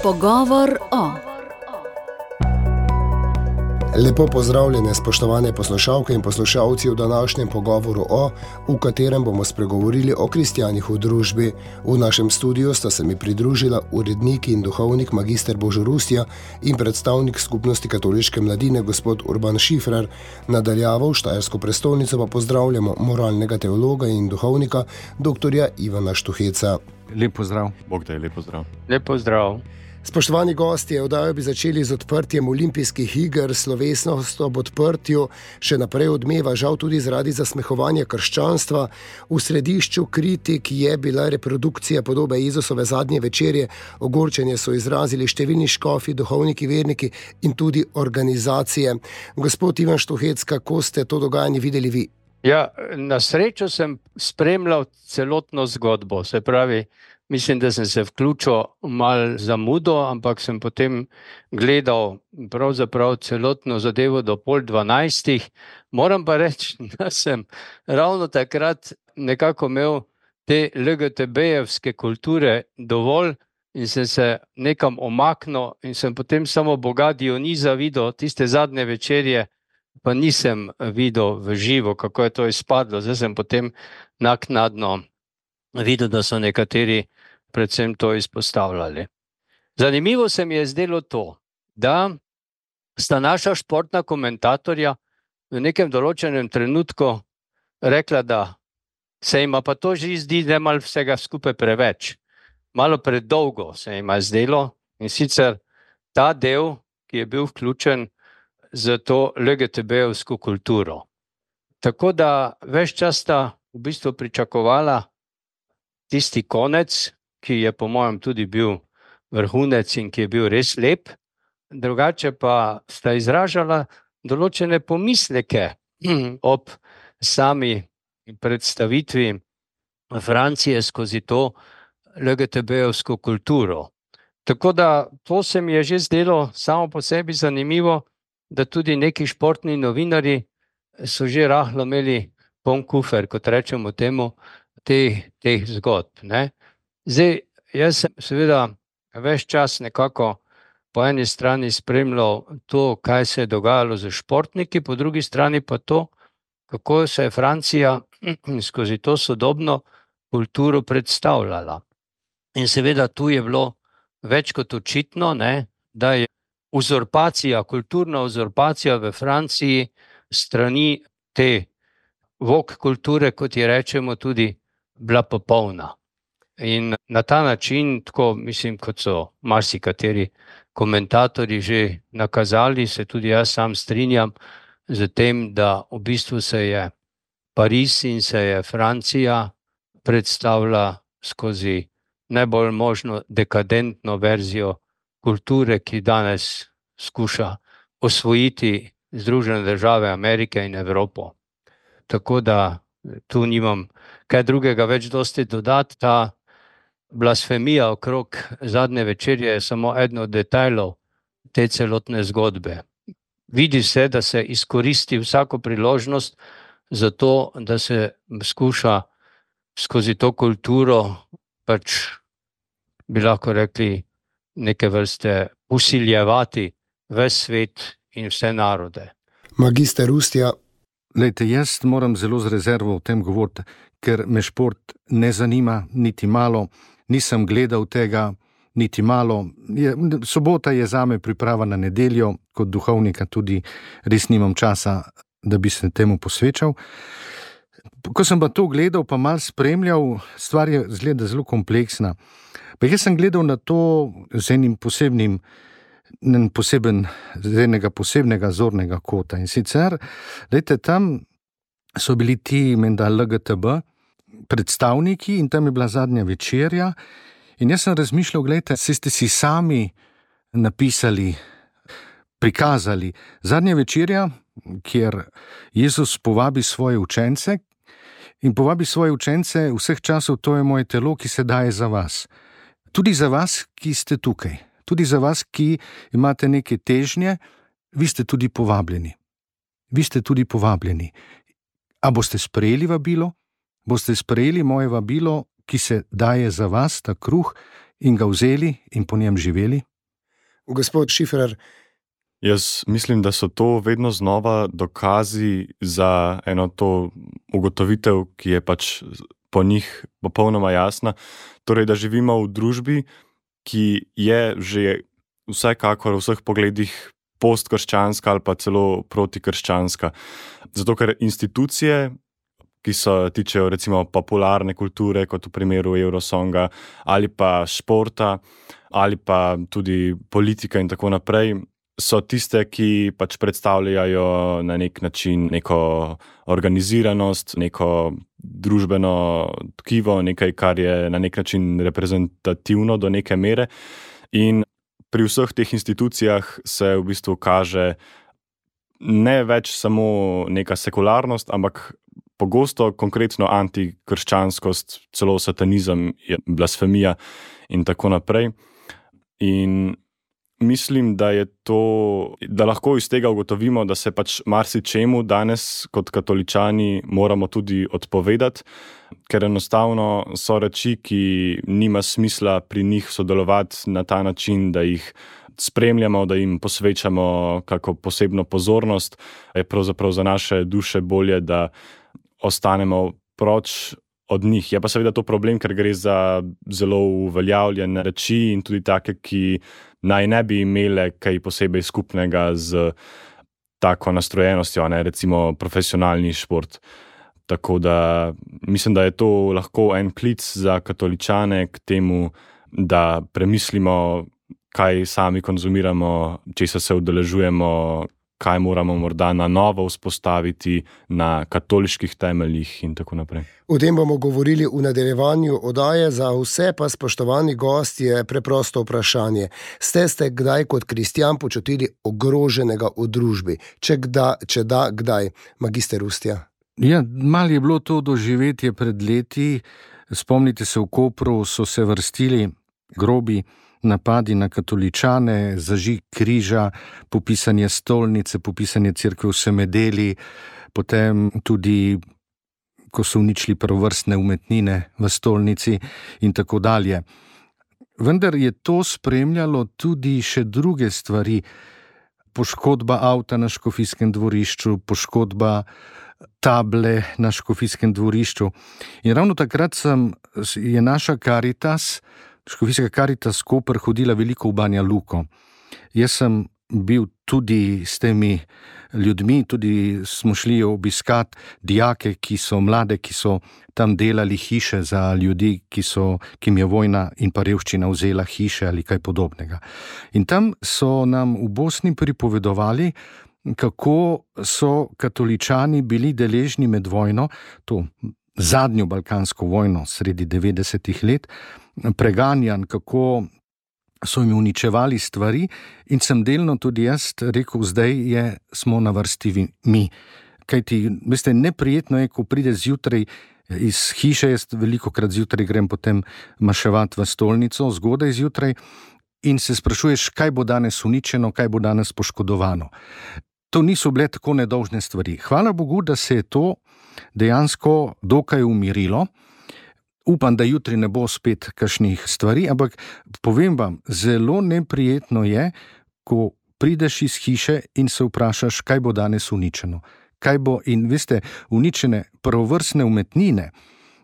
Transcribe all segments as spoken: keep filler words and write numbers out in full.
Pogovor o. Lepo pozdravljene, spoštovane poslušalke in poslušalci v današnjem pogovoru o, v katerem bomo spregovorili o kristjanih v družbi. V našem studiu sta se mi pridružila urednik in duhovnik magister Božo Rustja in predstavnik skupnosti katoliške mladine gospod Urban Šifrer. Nadaljavo v Štajersko prestolnico pa pozdravljamo moralnega teologa in duhovnika doktorja Ivana Štuheca. Lep pozdrav. Bog te, lep pozdrav. Lep pozdrav. Spoštovani gostje, oddajo bi začeli z odprtjem olimpijskih iger. Slovesnost ob odprtju še naprej odmeva, žal tudi zaradi zasmehovanja krščanstva. V središču kritik je bila reprodukcija podobe Jezusove zadnje večerje. Ogorčenje so izrazili številni škofi, duhovniki, verniki in tudi organizacije. Gospod Ivan Štuhec, kako ste to dogajanje videli vi? Ja, na srečo sem spremljal celotno zgodbo, se pravi, mislim, da sem se vključil malo zamudo, ampak sem potem gledal pravzaprav celotno zadevo do pol dvanajstih. Moram pa reči, da sem ravno takrat nekako imel te el ge te be-jevske kulture dovolj in sem se nekam omaknil in sem potem samo boga Dioniza videl, tiste zadnje večerje, pa nisem videl v živo, kako je to izpadlo. Zdaj sem potem naknadno videl, da so nekateri predvsem to izpostavljali. Zanimivo se mi je zdelo to, da sta naša športna komentatorja v nekem določenem trenutku rekla, da se ima pa to že zdi, da je malo vsega skupaj preveč. Malo predolgo se ima zdelo in sicer ta del, ki je bil vključen za to el ge te be-jevsko kulturo. Tako da ves čas sta v bistvu pričakovala tisti konec, ki je po mojem tudi bil vrhunec in ki je bil res lep, drugače pa sta izražala določene pomisleke ob sami predstavitvi Francije skozi to el ge te be-jevsko kulturo. Tako da to se mi je že zdelo samo po sebi zanimivo, da tudi neki športni novinari so že rahlo imeli poln kufer, kot rečemo temu, teh, teh zgodb, ne. Zdaj, jaz sem seveda ves čas nekako po eni strani spremljal to, kaj se je dogajalo z športniki, po drugi strani pa to, kako se je Francija skozi to sodobno kulturo predstavljala. In seveda tu je bilo več kot očitno, ne, da je uzurpacija, kulturna uzurpacija v Franciji strani te vok kulture, kot je rečemo, tudi bila popolna. In na ta način, tako mislim, kot so marsikateri komentatorji že nakazali, se tudi jaz sam strinjam z tem, da v bistvu se je Pariz in se je Francija predstavila skozi najbolj možno dekadentno verzijo kulture, ki danes skuša osvojiti Združene države Amerike in Evropo. Tako da tu nimam kaj drugega več dosti dodati. Ta blasfemija okrog zadnje večerje je samo eden od detajlov te celotne zgodbe. Vidi se, da se izkoristi vsako priložnost za to, da se skuša skozi to kulturo, pač bi lahko rekli, neke vrste usiljevati ves svet in vse narode. Magister Rustja. Lejte, jaz moram zelo z rezervo o tem govoriti, ker me šport ne zanima niti malo, nisem gledal tega niti malo. Je, sobota je zame priprava na nedeljo, kot duhovnika tudi res nimam časa, da bi se temu posvečal. Ko sem pa to gledal, pa malo spremljal, stvar je zgleda zelo kompleksna. Pa jaz sem gledal na to z enim posebnim, poseben, z enega posebnega zornega kota. In sicer, lejte, tam so bili ti menda el ge te be predstavniki in tam je bila zadnja večerja. In jaz sem razmišljal, gledajte, se ste si sami napisali, prikazali zadnja večerja, kjer Jezus povabi svoje učence in povabi svoje učence vseh časov, to je moje telo, ki se daje za vas. Tudi za vas, ki ste tukaj. Tudi za vas, ki imate neke težnje, vi ste tudi povabljeni. Vi ste tudi povabljeni. A boste sprejeli vabilo? Boste sprejeli moje vabilo, ki se daje za vas, ta kruh in ga vzeli in po njem živeli? Gospod Šiferer. Jaz mislim, da so to vedno znova dokazi za eno to ugotovitev, ki je pač po njih popolnoma jasna. Torej, da živimo v družbi, ki je že vsekakor v vseh pogledih postkrščanska ali pa celo protikrščanska. Zato, ker institucije, ki so tičejo recimo popularne kulture, kot v primeru Eurosonga, ali pa športa, ali pa tudi politika in tako naprej, so tiste, ki pač predstavljajo na nek način neko organiziranost, neko družbeno tkivo, nekaj, kar je na nek način reprezentativno do neke mere. In pri vseh teh institucijah se v bistvu kaže ne več samo neka sekularnost, ampak pogosto konkretno antikrščanskost, celo satanizem, blasfemija in tako naprej. In mislim, da je to, da lahko iz tega ugotovimo, da se pač marsičemu danes kot katoličani moramo tudi odpovedati, ker enostavno so reči, ki nima smisla pri njih sodelovati na ta način, da jih spremljamo, da jim posvečamo kako posebno pozornost. Je pravzaprav za naše duše bolje, da ostanemo proč od njih. Je pa seveda to problem, ker gre za zelo uveljavljene reči in tudi take, ki naj ne bi imele kaj posebej skupnega z tako nastrojenostjo, ne, recimo profesionalni šport. Tako da mislim, da je to lahko en klic za katoličane k temu, da premislimo, kaj sami konzumiramo, česa se udeležujemo, kaj moramo morda na novo vzpostaviti na katoliških temeljih in tako naprej. O tem bomo govorili v nadaljevanju oddaje. Za vse pa, spoštovani gost, je preprosto vprašanje. Ste ste kdaj kot kristjan počutili ogroženega v družbi? Če, kda, če da, kdaj? Magister Ustja. Ja, malo je bilo to doživetje pred leti. Spomnite se, v Kopru so se vrstili grobi napadi na katoličane, zažig križa, popisanje stolnice, popisanje cerkve v Semedeli, potem tudi, ko so uničili prvovrstne umetnine v stolnici in tako dalje. Vendar je to spremljalo tudi še druge stvari. Poškodba avta na Škofijskem dvorišču, poškodba table na Škofijskem dvorišču. In ravno takrat sem, je naša Karitas, Škofijska Karitas Koper, hodila veliko v Banja Luko. Jaz sem bil tudi s temi ljudmi, tudi smo šli obiskat dijake, ki so mlade, ki so tam delali hiše za ljudi, ki so, ki jim je vojna in pa revščina vzela hiše ali kaj podobnega. In tam so nam v Bosni pripovedovali, kako so katoličani bili deležni med vojno, to zadnjo balkansko vojno sredi devetdesetih let, preganjan, kako so jim uničevali stvari, in sem delno tudi jaz rekel, zdaj je, smo na vrsti mi. Kajti, veste, neprijetno je, ko pride zjutraj iz hiše, jaz veliko krat zjutraj grem potem maševati v stolnico, zgodaj zjutraj, in se sprašuješ, kaj bo danes uničeno, kaj bo danes poškodovano. To niso bile tako nedolžne stvari. Hvala Bogu, da se je to dejansko dokaj umirilo. Upam, da jutri ne bo spet kakšnih stvari, ampak povem vam, zelo neprijetno je, ko prideš iz hiše in se vprašaš, kaj bo danes uničeno. Kaj bo, in veste, uničene prvovrstne umetnine.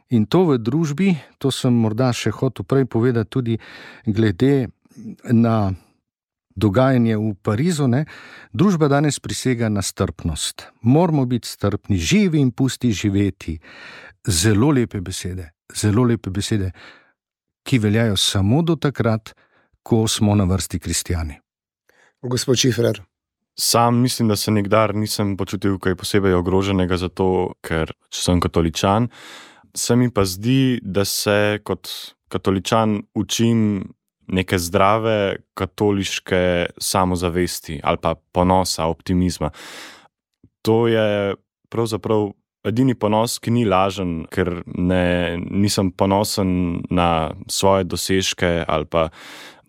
In to v družbi, to sem morda še hotel prej povedati tudi glede na dogajanje v Parizu, ne? Družba danes prisega na strpnost. Moramo biti strpni, živi in pusti živeti. Zelo lepe besede, zelo lepe besede, ki veljajo samo do takrat, ko smo na vrsti kristjani. Gospod Šiferer. Sam mislim, da se nikdar nisem počutil kaj posebej ogroženega zato, ker sem katoličan. Se mi pa zdi, da se kot katoličan učim neke zdrave katoliške samozavesti ali pa ponosa, optimizma. To je pravzaprav edini ponos, ki ni lažen, ker ne, nisem ponosen na svoje dosežke ali pa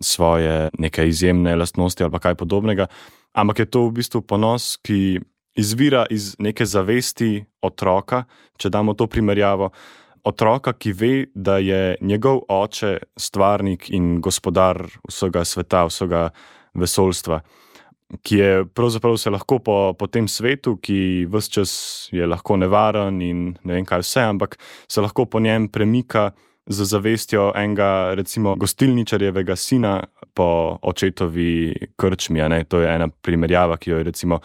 svoje neke izjemne lastnosti ali pa kaj podobnega, ampak je to v bistvu ponos, ki izvira iz neke zavesti otroka, če damo to primerjavo, otroka, ki ve, da je njegov oče stvarnik in gospodar vsega sveta, vsega vesoljstva, ki je pravzaprav se lahko po, po tem svetu, ki ves čas je lahko nevaren in ne vem kaj vse, ampak se lahko po njem premika z zavestjo enega, recimo, gostilničarjevega sina po očetovi krčmi. Ne? To je ena primerjava, ki jo je recimo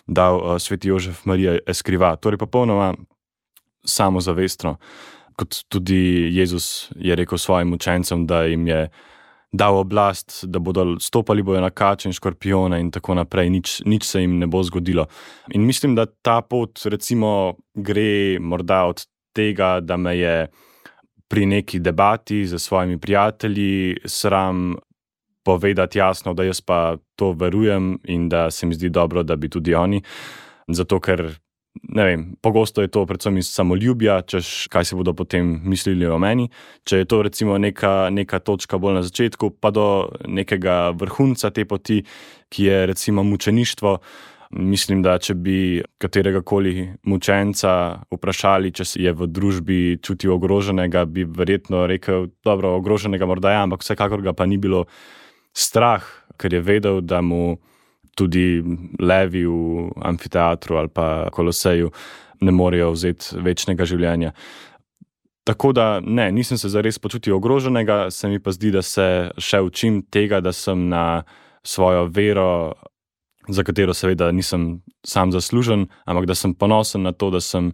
dal uh, sveti Jožef Marija Eskriva. Torej popolnoma samozavestno, kot tudi Jezus je rekel svojim učencem, da jim je dal oblast, da bodo stopali bojo na kače in škorpione in tako naprej, nič, nič se jim ne bo zgodilo. In mislim, da ta pot recimo gre morda od tega, da me je pri neki debati z svojimi prijatelji sram povedati jasno, da jaz pa to verujem in da se mi zdi dobro, da bi tudi oni, zato ker ne vem, pogosto je to predvsem iz samoljubja, češ kaj se bodo potem mislili o meni. Če je to recimo neka, neka točka bolj na začetku, pa do nekega vrhunca te poti, ki je recimo mučeništvo, mislim, da če bi kateregakoli mučenca vprašali, če je v družbi čutil ogroženega, bi verjetno rekel, dobro, ogroženega morda ja, ampak vsekakor ga pa ni bilo strah, ker je vedel, da mu tudi levi v amfiteatru ali pa Koloseju ne morejo vzeti večnega življenja. Tako da ne, nisem se zares počutil ogroženega, se mi pa zdi, da se še učim tega, da sem na svojo vero, za katero seveda nisem sam zaslužen, ampak da sem ponosen na to, da sem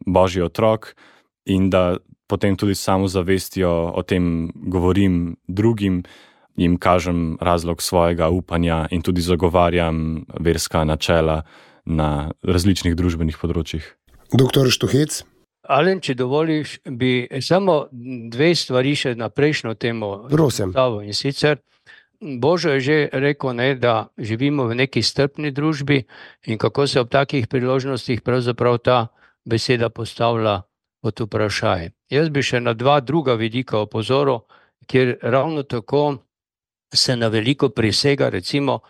Božji otrok in da potem tudi samozavestjo o tem govorim drugim, jim kažem razlog svojega upanja in tudi zagovarjam verska načela na različnih družbenih področjih. Doktor Štuhec? Alen, če dovoliš, bi samo dve stvari še na prejšnjo temo. Prosim. In sicer Božo je že rekel, ne, da živimo v neki strpni družbi in kako se ob takih priložnostih pravzaprav ta beseda postavlja pod vprašaj. Jaz bi še na dva druga vidika opozoril, kjer ravno tako se na veliko prisega, recimo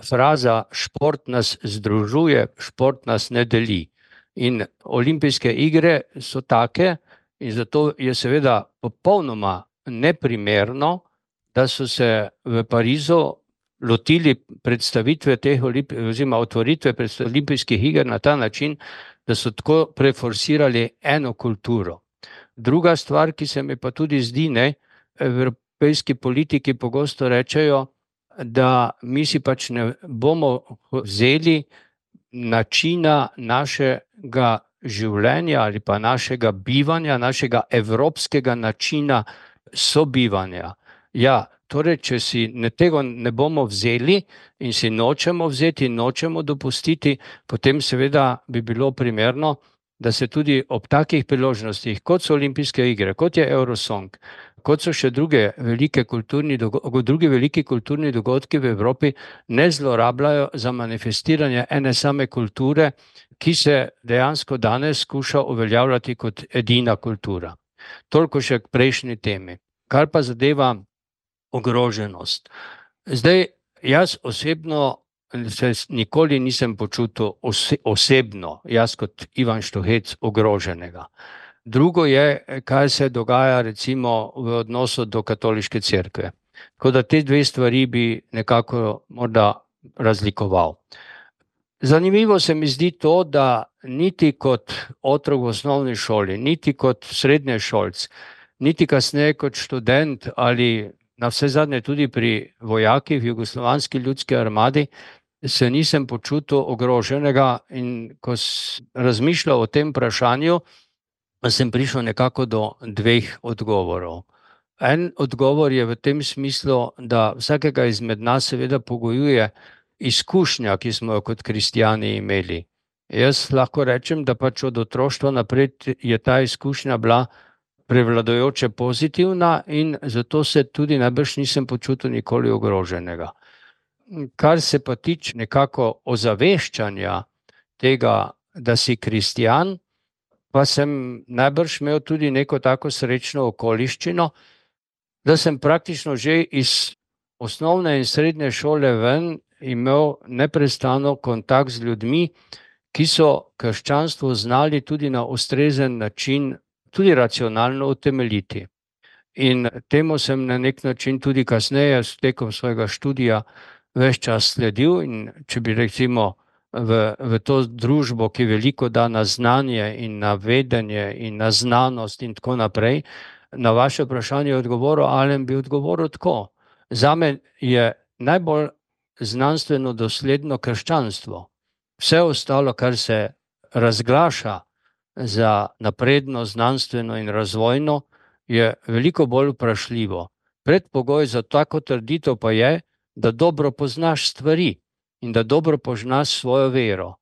fraza šport nas združuje, šport nas ne deli. In olimpijske igre so take in zato je seveda popolnoma neprimerno, da so se v Parizu lotili predstavitve teh oziroma otvoritve olimpijskih iger na ta način, da so tako preforsirali eno kulturo. Druga stvar, ki se mi pa tudi zdi, ne, evropejski politiki pogosto rečejo, da mi si pač ne bomo vzeli načina našega življenja ali pa našega bivanja, našega evropskega načina sobivanja. Ja, torej, če si ne, tega ne bomo vzeli in si nočemo vzeti in nočemo dopustiti, potem seveda bi bilo primerno, da se tudi ob takih priložnostih, kot so olimpijske igre, kot je Eurosong, kot so še druge velike kulturni dogodki, drugi veliki kulturni dogodki v Evropi, ne zlorabljajo za manifestiranje ene same kulture, ki se dejansko danes skuša uveljavljati kot edina kultura. Toliko še k prejšnji temi. Kar pa zadeva ogroženost. Zdaj, jaz osebno se nikoli nisem počutil ose, osebno, jaz kot Ivan Štuhec, ogroženega. Drugo je, kaj se dogaja recimo v odnosu do katoliške cerkve. Tako da te dve stvari bi nekako morda razlikoval. Zanimivo se mi zdi to, da niti kot otrok v osnovni šoli, niti kot srednješolc, niti kasneje kot študent ali na vse zadnje tudi pri vojakih v Jugoslovanski ljudski armadi, se nisem počutil ogroženega in ko sem razmišljal o tem vprašanju, sem prišel nekako do dveh odgovorov. En odgovor je v tem smislu, da vsakega izmed nas seveda pogojuje izkušnja, ki smo jo kot kristjani imeli. Jaz lahko rečem, da pač od otroštva naprej je ta izkušnja bila prevladujoče pozitivna in zato se tudi najbrž nisem počutil nikoli ogroženega. Kar se pa tiče nekako ozaveščanja tega, da si kristjan, pa sem najbrž imel tudi neko tako srečno okoliščino, da sem praktično že iz osnovne in srednje šole ven imel neprestano kontakt z ljudmi, ki so krščanstvo znali tudi na ustrezen način tudi racionalno utemeljiti. In temu sem na nek način tudi kasneje s tekom svojega študija ves čas sledil, in če bi recimo v, v to družbo, ki veliko da na znanje in na vedenje in na znanost in tako naprej, na vaše vprašanje odgovoril, Alen, bi odgovoril tako. Zame je najbolj znanstveno dosledno krščanstvo. Vse ostalo, kar se razglaša za napredno, znanstveno in razvojno, je veliko bolj vprašljivo. Predpogoj za tako trditev pa je, da dobro poznaš stvari in da dobro poznaš svojo vero.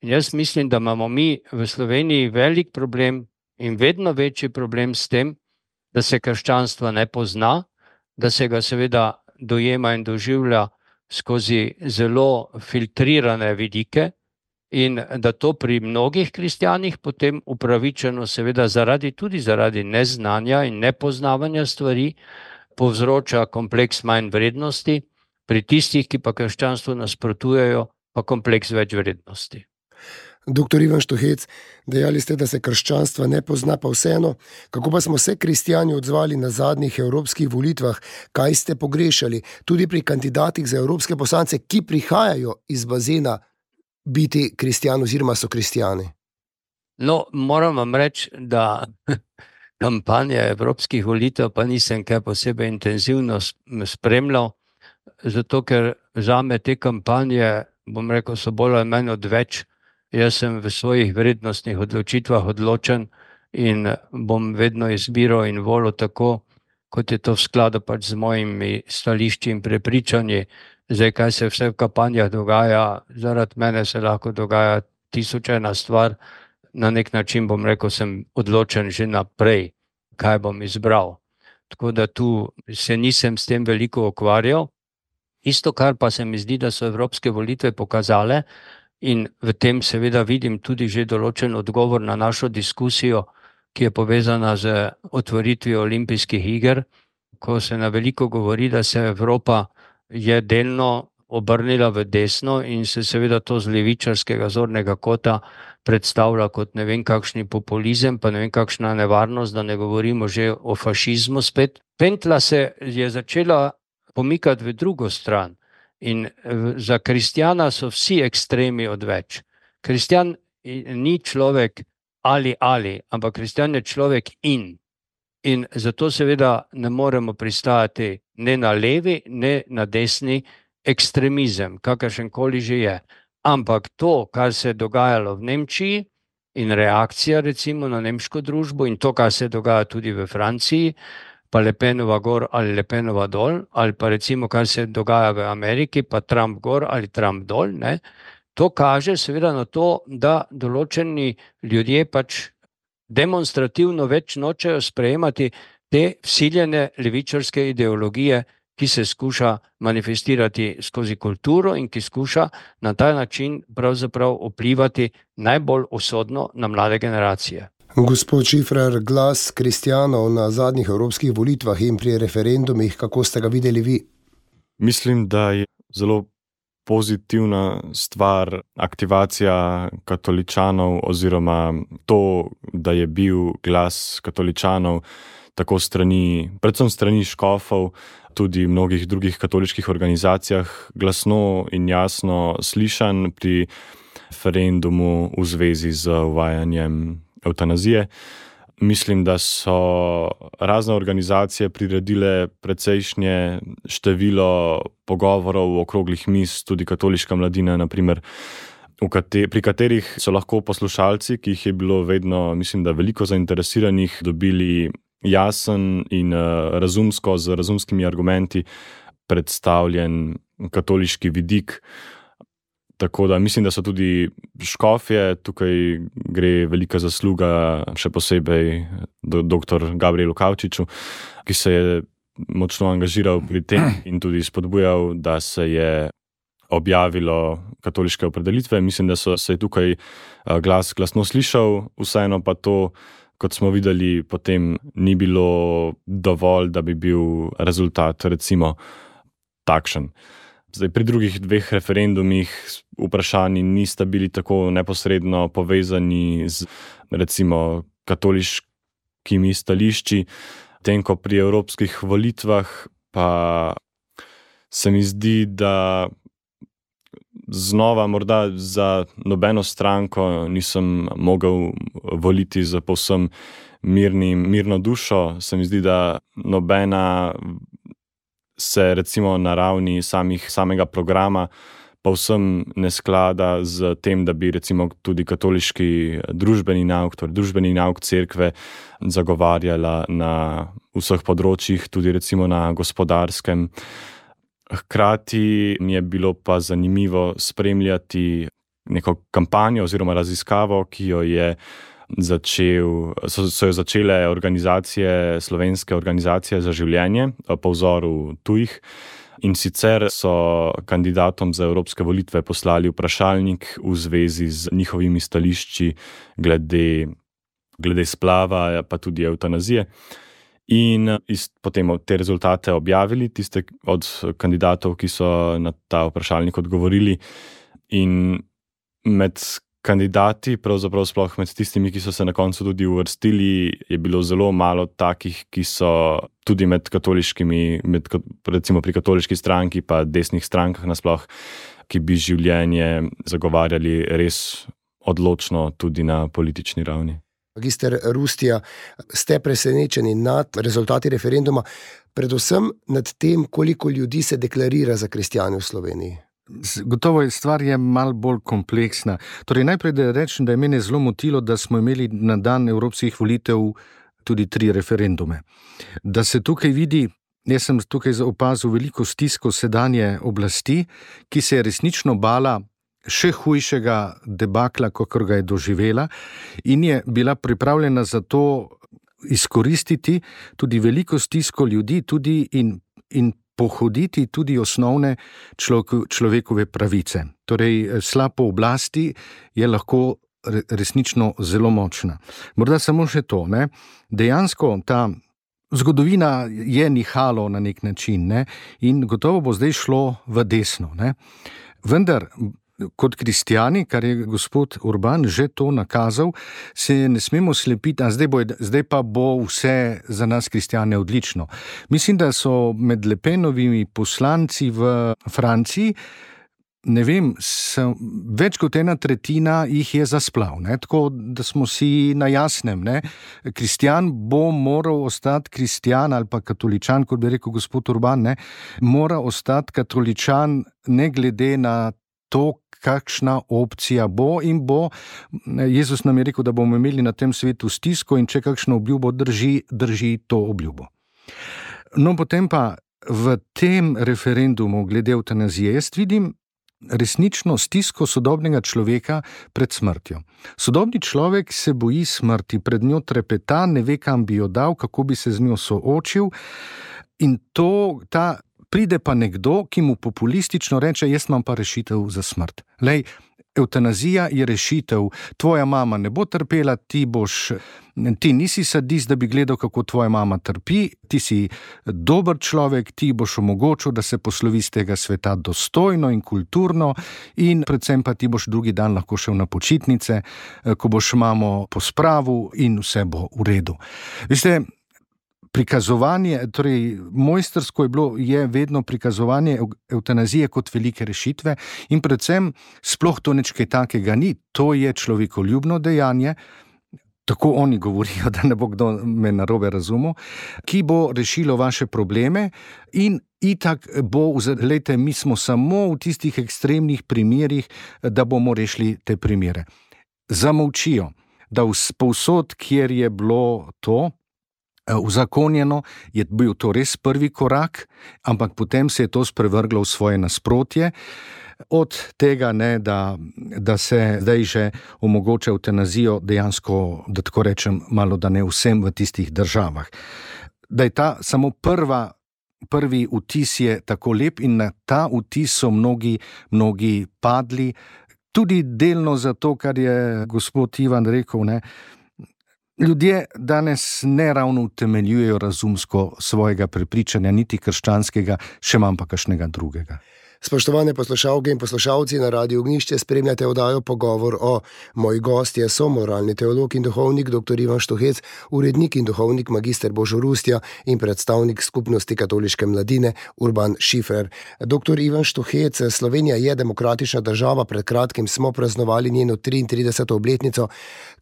In jaz mislim, da imamo mi v Sloveniji velik problem in vedno večji problem s tem, da se krščanstva ne pozna, da se ga seveda dojema in doživlja skozi zelo filtrirane vidike, in da to pri mnogih kristjanih potem upravičeno seveda zaradi, tudi zaradi neznanja in nepoznavanja stvari povzroča kompleks manj vrednosti, pri tistih, ki pa krščanstvu nasprotujejo, pa kompleks več vrednosti. Doktor Ivan Štuhec, dejali ste, da se krščanstva ne pozna, pa vseeno, kako pa smo se kristjani odzvali na zadnjih evropskih volitvah, kaj ste pogrešali, tudi pri kandidatih za evropske poslance, ki prihajajo iz bazena biti kristjan oziroma so kristjani? No, moram vam reči, da kampanje evropskih volitev pa nisem kaj posebej intenzivno spremljal, zato ker zame te kampanje, bom rekel, so bolj ali manj odveč. Jaz sem v svojih vrednostnih odločitvah odločen in bom vedno izbiral in volil tako, kot je to v skladu pač z mojimi stališči in prepričanji. Zdaj, kaj se vse v kampanjah dogaja, zaradi mene se lahko dogaja tisoč ena stvar. Na nek način, bom rekel, sem odločen že naprej, kaj bom izbral. Tako da tu se nisem s tem veliko ukvarjal. Isto, kar pa se mi zdi, da so evropske volitve pokazale, in v tem seveda vidim tudi že določen odgovor na našo diskusijo, ki je povezana z otvoritvijo olimpijskih iger, ko se na veliko govori, da se Evropa je delno obrnila v desno in se seveda to z levičarskega zornega kota predstavlja kot ne vem kakšni populizem, pa ne vem kakšna nevarnost, da ne govorimo že o fašizmu spet. Pentla se je začela pomikati v drugo stran in za kristjana so vsi ekstremi odveč. Kristjan ni človek ali ali, ampak kristjan je človek in. In zato seveda ne moremo pristajati ne na levi, ne na desni ekstremizem, kakršenkoli že je. Ampak to, kar se je dogajalo v Nemčiji in reakcija recimo na nemško družbo in to, kar se dogaja tudi v Franciji, pa Le Penova gor ali Le Penova dol, ali pa recimo, kar se dogaja v Ameriki, pa Trump gor ali Trump dol, ne? To kaže seveda na to, da določeni ljudje pač demonstrativno več nočejo sprejemati te vsiljene levičarske ideologije, ki se skuša manifestirati skozi kulturo in ki skuša na ta način pravzaprav vplivati najbolj usodno na mlade generacije. Gospod Šifrer, glas kristjanov na zadnjih evropskih volitvah in pri referendumih, kako ste ga videli vi? Mislim, da je zelo pozitivna stvar aktivacija katoličanov oziroma to, da je bil glas katoličanov tako strani, predvsem strani škofov, tudi mnogih drugih katoliških organizacijah glasno in jasno slišan pri referendumu v zvezi z uvajanjem evtanazije. Mislim, da so razne organizacije priredile precejšnje število pogovorov, okroglih miz, tudi katoliška mladina, na primer, pri katerih so lahko poslušalci, ki jih je bilo vedno, mislim, da veliko zainteresiranih, dobili jasen in razumsko, z razumskimi argumenti predstavljen katoliški vidik. Tako da mislim, da so tudi škofje, tukaj gre velika zasluga še posebej doktor Gabrielu Kavčiču, ki se je močno angažiral pri tem in tudi spodbujal, da se je objavilo katoliške opredelitve. Mislim, da so se tukaj glas glasno slišal, vseeno pa to, kot smo videli, potem ni bilo dovolj, da bi bil rezultat recimo takšen. Zdaj, pri drugih dveh referendumih vprašanji nista bili tako neposredno povezani z recimo katoliškim evropskimi stališči, tem, ko pri evropskih volitvah pa se mi zdi, da znova morda za nobeno stranko nisem mogel voliti za povsem mirnim, mirno dušo. Se mi zdi, da nobena se recimo na ravni samih, samega programa povsem ne sklada z tem, da bi recimo tudi katoliški družbeni nauk, torej družbeni nauk cerkve zagovarjala na vseh področjih, tudi recimo na gospodarskem. Hkrati mi je bilo pa zanimivo spremljati neko kampanjo oziroma raziskavo, ki jo je začel, so, so jo začele organizacije, slovenske organizacije za življenje po vzoru tujih. In sicer so kandidatom za evropske volitve poslali vprašalnik v zvezi z njihovimi stališči glede, glede splava, pa tudi evtanazije. In iz, potem te rezultate objavili, tiste od kandidatov, ki so na ta vprašalnik odgovorili. In med kandidati, pravzaprav sploh med tistimi, ki so se na koncu tudi uvrstili, je bilo zelo malo takih, ki so tudi med katoliškimi, med, recimo pri katoliški stranki pa desnih strankah nasploh, ki bi življenje zagovarjali res odločno tudi na politični ravni. Magister Rustija, ste presenečeni nad rezultati referenduma, predvsem nad tem, koliko ljudi se deklarira za kristjane v Sloveniji? Gotovo je stvar je malo bolj kompleksna. Torej, najprej da rečem, da je mene zelo motilo, da smo imeli na dan evropskih volitev tudi tri referendume. Da se tukaj vidi, jaz sem tukaj opazil veliko stisko sedanje oblasti, ki se je resnično bala še hujšega debakla, kakor ga je doživela, in je bila pripravljena za to izkoristiti tudi veliko stisko ljudi tudi in, in pohoditi tudi osnovne človekove pravice. Torej, slab po oblasti je lahko resnično zelo močna. Morda samo še to, ne? Dejansko ta zgodovina je nihalo na nek način, ne? In gotovo bo zdaj šlo v desno, ne? Vendar kot kristjani, kar je gospod Urban že to nakazal, se ne smemo slepiti, a zdaj, bo, zdaj pa bo vse za nas kristjane odlično. Mislim, da so med Le Penovimi poslanci v Franciji, ne vem, so, več kot ena tretjina jih je za splav, ne? Tako da smo si na jasnem, ne? Kristjan bo moral ostati kristjan ali pa katoličan, kot bi rekel gospod Urban, ne? Mora ostati katoličan ne glede na to, kakšna opcija bo, in bo, Jezus nam je rekel, da bomo imeli na tem svetu stisko, in če kakšno obljubo drži, drži to obljubo. No, potem pa v tem referendumu glede evtanazije jaz vidim resnično stisko sodobnega človeka pred smrtjo. Sodobni človek se boji smrti, pred njo trepeta, ne ve, kam bi jo dal, kako bi se z njo soočil, in to, ta pride pa nekdo, ki mu populistično reče, jaz imam pa rešitev za smrt. Lej, evtanazija je rešitev, tvoja mama ne bo trpela, ti boš, ti nisi sadist, da bi gledal, kako tvoja mama trpi, ti si dober človek, ti boš omogočil, da se poslovi z tega sveta dostojno in kulturno, in predvsem pa ti boš drugi dan lahko šel na počitnice, ko boš mamo pospravil in vse bo v redu. Veste, prikazovanje, torej mojstrsko je bilo, je vedno prikazovanje evtanazije kot velike rešitve, in predvsem sploh to nič kaj takega ni, to je človekoljubno dejanje, tako oni govorijo, da ne bo kdo me narobe razumel, ki bo rešilo vaše probleme, in itak bo, glejte, mi smo samo v tistih ekstremnih primerih, da bomo rešili te primere. Zamolčijo, da povsod, kjer je bilo to uzakonjeno, je bil to res prvi korak, ampak potem se je to sprevrglo v svoje nasprotje. Od tega, ne, da, da se zdaj že omogoča evtanazijo dejansko, da tako rečem, malo da ne vsem v tistih državah. Da je ta samo prva, prvi vtis je tako lep, in na ta vtis so mnogi, mnogi padli, tudi delno zato, kar je gospod Ivan rekel, ne, ljudje danes ne ravno utemeljujejo razumsko svojega prepričanja, niti krščanskega, še manj pa kakšnega drugega. Spoštovane poslušalke in poslušalci, na Radiu Ognjišče spremljate oddajo Pogovor o. Moj gost je somoralni teolog in duhovnik dr. Ivan Štuhec, urednik in duhovnik magister Božo Rustja in predstavnik Skupnosti katoliške mladine Urban Šifer. doktor Ivan Štuhec, Slovenija je demokratična država, pred kratkim smo praznovali njeno triintrideseto obletnico.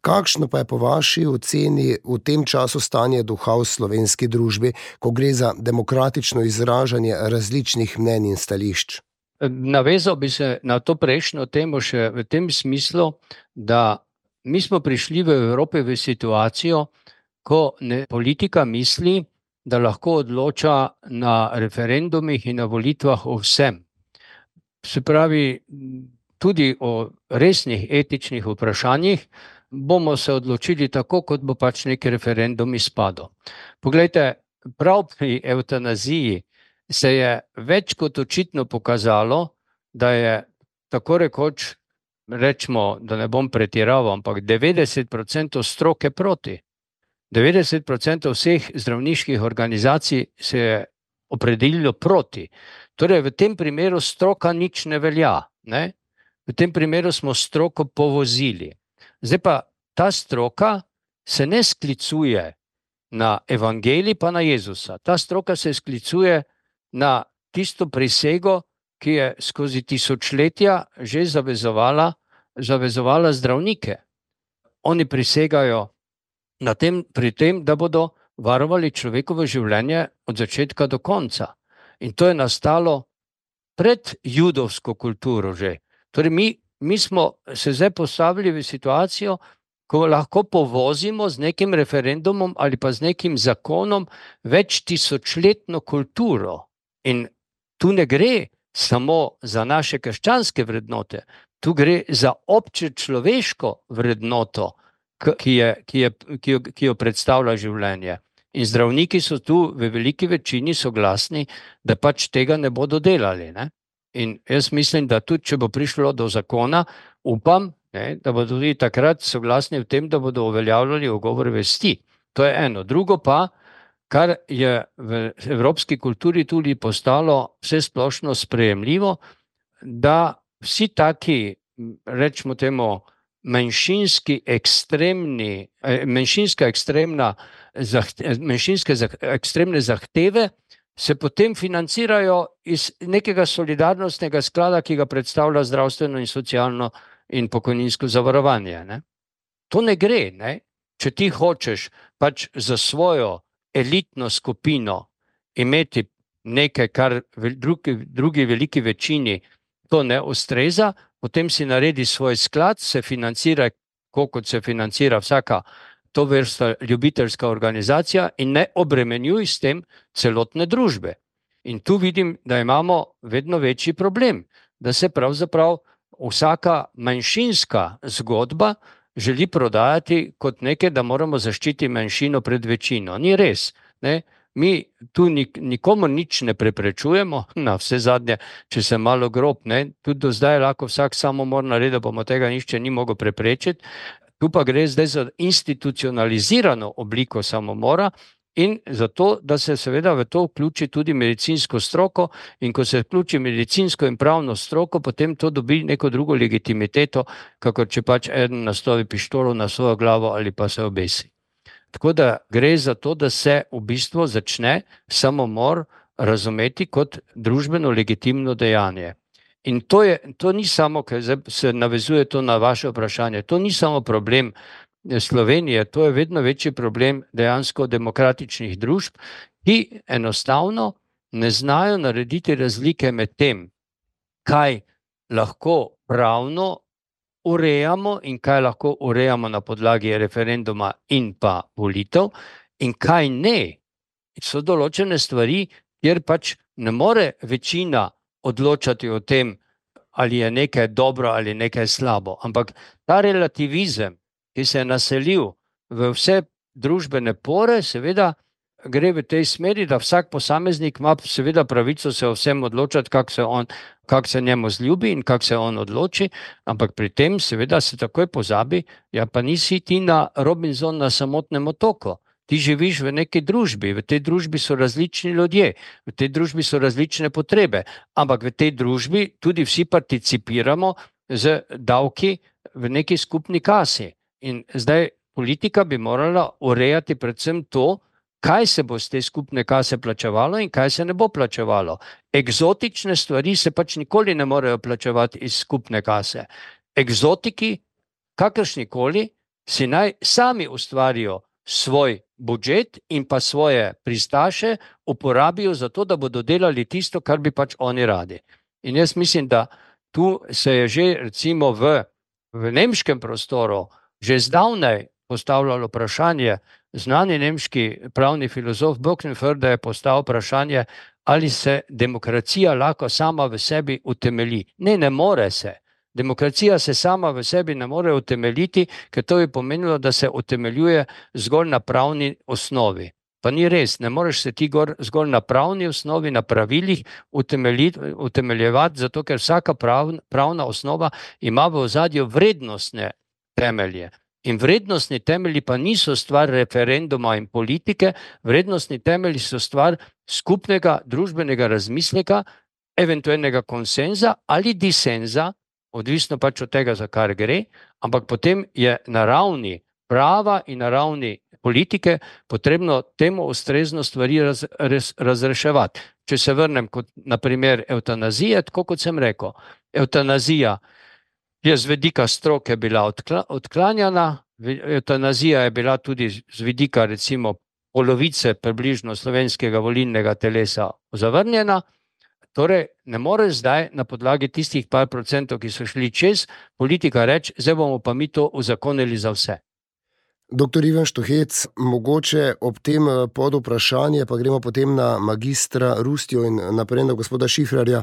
Kakšno pa je po vaši oceni v tem času stanje duha v slovenski družbi, ko gre za demokratično izražanje različnih mnenj in stališč? Navezal bi se na to prejšnjo temo še v tem smislu, da mi smo prišli v Evropi v situacijo, ko ne, politika misli, da lahko odloča na referendumih in na volitvah o vsem. Se pravi, tudi o resnih etičnih vprašanjih bomo se odločili tako, kot bo pač neki referendum izpadel. Poglejte, prav pri evtanaziji se je več kot očitno pokazalo, da je tako rekoč, rečemo, da ne bom pretiraval, ampak devetdeset procentov stroke proti. devetdeset procentov vseh zdravniških organizacij se je opredelilo proti. Torej, v tem primeru stroka nič ne velja, ne? V tem primeru smo stroko povozili. Zdaj pa ta stroka se ne sklicuje na evangelij pa na Jezusa. Ta stroka se sklicuje na tisto prisego, ki je skozi tisočletja že zavezovala, zavezovala zdravnike. Oni prisegajo na tem, pri tem, da bodo varovali človekovo življenje od začetka do konca. In to je nastalo pred judovsko kulturo že. Torej mi, mi smo se zdaj postavili v situacijo, ko lahko povozimo z nekim referendumom ali pa z nekim zakonom več tisočletno kulturo. In tu ne gre samo za naše krščanske vrednote, tu gre za obče človeško vrednoto, ki, je, ki, je, ki, jo, ki jo predstavlja življenje. In zdravniki so tu v veliki večini soglasni, da pač tega ne bodo delali. Ne? In jaz mislim, da tudi, če bo prišlo do zakona, upam, ne, da bodo tudi takrat soglasni v tem, da bodo uveljavljali ugovor vesti. To je eno. Drugo pa, kar je v evropski kulturi tudi postalo vsesplošno sprejemljivo, da vsi taki, rečemo temu, manjšinski ekstremni, manjšinska ekstremna, manjšinske ekstremne zahteve se potem financirajo iz nekega solidarnostnega sklada, ki ga predstavlja zdravstveno in socialno in pokojninsko zavarovanje. Ne? To ne gre, ne? Če ti hočeš pač za svojo elitno skupino imeti nekaj, kar drugi, drugi veliki večini to ne ustreza, potem si naredi svoj sklad, se financira, kot se financira vsaka to vrsta ljubiteljska organizacija in ne obremenjuj s tem celotne družbe. In tu vidim, da imamo vedno večji problem, da se pravzaprav vsaka manjšinska zgodba želi prodajati kot nekaj, da moramo zaščititi manjšino pred večino. Ni res, ne? Mi tu nik, nikomu nič ne preprečujemo, na vse zadnje, če se malo grob, ne? Tudi do zdaj lahko vsak samomor naredi, bomo tega nišče ni mogel preprečiti. Tu pa gre zdaj za institucionalizirano obliko samomora in zato, da se seveda v to vključi tudi medicinsko stroko, in ko se vključi medicinsko in pravno stroko, potem to dobi neko drugo legitimiteto, kakor če pač eden nastavi pištolo na svojo glavo ali pa se obesi. Tako da gre za to, da se v bistvu začne samomor razumeti kot družbeno legitimno dejanje. In to, je, to ni samo, ker se navezuje to na vaše vprašanje, to ni samo problem Slovenije, to je vedno večji problem dejansko demokratičnih družb, ki enostavno ne znajo narediti razlike med tem, kaj lahko pravno urejamo in kaj lahko urejamo na podlagi referenduma in pa volitev in kaj ne. So določene stvari, kjer pač ne more večina odločati o tem, ali je nekaj dobro ali nekaj slabo, ampak ta relativizem, ki se je naselil v vse družbene pore, seveda gre v tej smeri, da vsak posameznik ima seveda pravico se o vsem odločati, kako se, on, kak se njemu zljubi in kako se on odloči, ampak pri tem seveda se takoj pozabi, ja pa nisi ti na Robinson na samotnem otoku. ti živiš v neki družbi, v tej družbi so različni ljudje, v tej družbi so različne potrebe, ampak v tej družbi tudi vsi participiramo z davki v neki skupni kasi. In zdaj politika bi morala urejati predvsem to, kaj se bo z te skupne kase plačevalo in kaj se ne bo plačevalo. Eksotične stvari se pač nikoli ne morejo plačevati iz skupne kase. Eksotiki, kakršnikoli, si naj sami ustvarijo svoj budžet in pa svoje pristaše uporabijo za to, da bodo delali tisto, kar bi pač oni radi. In jaz mislim, da tu se je že recimo v, v nemškem prostoru že zdavnaj postavljalo vprašanje, znani nemški pravni filozof Böckenförde je postavil vprašanje, ali se demokracija lahko sama v sebi utemelji. Ne, ne more se. Demokracija se sama v sebi ne more utemeljiti, ker to bi pomenilo, da se utemeljuje zgolj na pravni osnovi. Pa ni res, ne moreš se ti gor, zgolj na pravni osnovi, na pravilih utemeljevati, zato ker vsaka prav, pravna osnova ima v ozadju vrednostne temelje. In vrednostni temelji pa niso stvar referenduma in politike, vrednostni temelji so stvar skupnega družbenega razmisleka, eventualnega konsenza ali disenza, odvisno pač od tega, za kar gre, ampak potem je na ravni prava in na ravni politike potrebno temu ustrezno stvari raz, raz, razreševati. Če se vrnem kot na primer evtanazije, tako kot sem rekel, evtanazija je z vidika stroke bila odkla, odklanjana, evtanazija je bila tudi z vidika recimo polovice približno slovenskega volilnega telesa zavrnjena. Torej, ne more zdaj na podlagi tistih par procentov, ki so šli čez, politika reči, zdaj bomo pa mi to uzakonili za vse. Doktor Ivan Štuhec, mogoče ob tem pod vprašanje, pa gremo potem na magistra Rustjo in naprej na gospoda Šifrarja.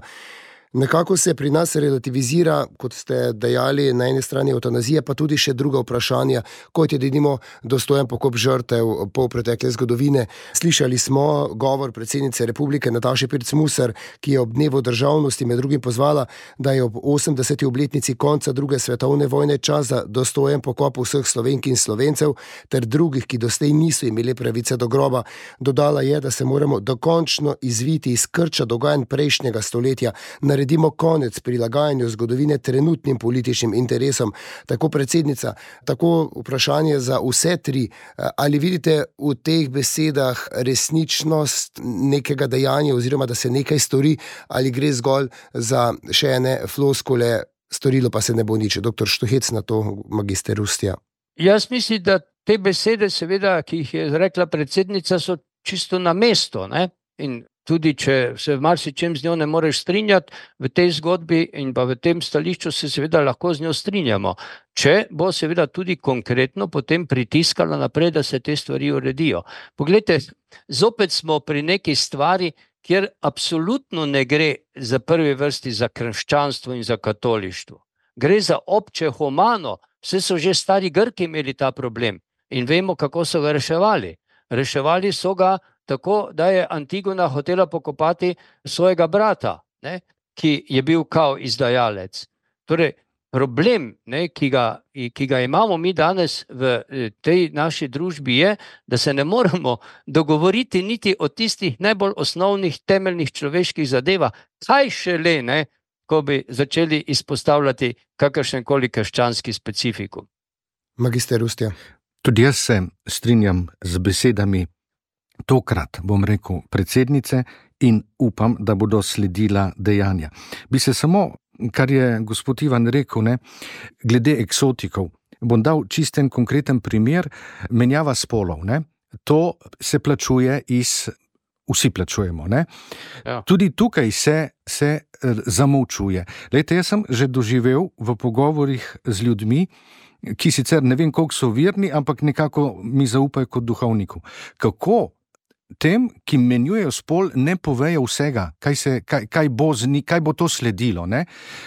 Nekako se pri nas relativizira, kot ste dejali, na eni strani eutanazija, pa tudi še druga vprašanja, kot je denimo dostojen pokop žrtev po pretekle zgodovine. Slišali smo govor predsednice Republike Nataše Pirc Musar, ki je ob dnevu državnosti med drugim pozvala, da je ob osemdeseti obletnici konca druge svetovne vojne čas za dostojen pokop vseh Slovenk in Slovencev ter drugih, ki doslej niso imeli pravice do groba. Dodala je, da se moramo dokončno izviti iz krča dogajanj prejšnjega stoletja, naredimo konec prilagajanju zgodovine trenutnim političnim interesom. Tako predsednica, tako vprašanje za vse tri. Ali vidite v teh besedah resničnost nekega dejanja oziroma da se nekaj stori, ali gre zgolj za še ene floskule, storilo pa se ne bo nič? Doktor Štuhec, na to magister Rustja. Jaz mislim, da te besede, seveda, ki jih je rekla predsednica, so čisto na mesto, ne? In tudi če se v marsičem z njo ne moreš strinjati, v tej zgodbi in pa v tem stališču se seveda lahko z njo strinjamo. Če bo seveda tudi konkretno potem pritiskala naprej, da se te stvari uredijo. Poglejte, zopet smo pri neki stvari, kjer absolutno ne gre za prvi vrsti za krščanstvo in za katolištvo. Gre za obče humano, vse so že stari Grki imeli ta problem in vemo, kako so ga reševali. Reševali so ga tako, da je Antigona hotela pokopati svojega brata, ne, ki je bil kao izdajalec. Torej, problem, ne, ki ga, ki ga imamo mi danes v tej naši družbi je, da se ne moremo dogovoriti niti o tistih najbolj osnovnih temeljnih človeških zadevah, kaj šele, ne, ko bi začeli izpostavljati kakršenkoli krščanski specifikum. Magister Rustja. Tudi jaz se strinjam z besedami tokrat, bom rekel, predsednice in upam, da bodo sledila dejanja. Bi se samo, kar je gospod Ivan rekel, ne, glede eksotikov, bom dal čisten konkreten primer, menjava spolov. Ne. To se plačuje iz, vsi plačujemo. Ne. Ja. Tudi tukaj se, se zamolčuje. Lejte, jaz sem že doživel v pogovorih z ljudmi, ki sicer ne vem, koliko so verni, ampak nekako mi zaupajo kot duhovniku. Kako tem, ki menjujejo spol, ne povejo vsega, kaj, se, kaj, kaj, bo, zni, kaj bo to sledilo. Ne?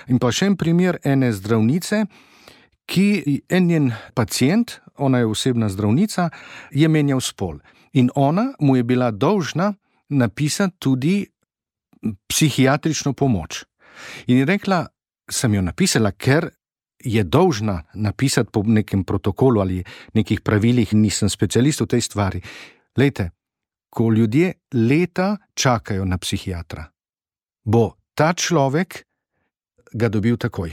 In pa še en primer ene zdravnice, ki en njen pacient, ona je osebna zdravnica, je menjal spol. In ona mu je bila dolžna napisati tudi psihiatrično pomoč. In je rekla, sem jo napisala, ker je dolžna napisati po nekem protokolu ali nekih pravilih, nisem specialist v tej stvari. Lejte, ko ljudje leta čakajo na psihiatra, bo ta človek ga dobil takoj.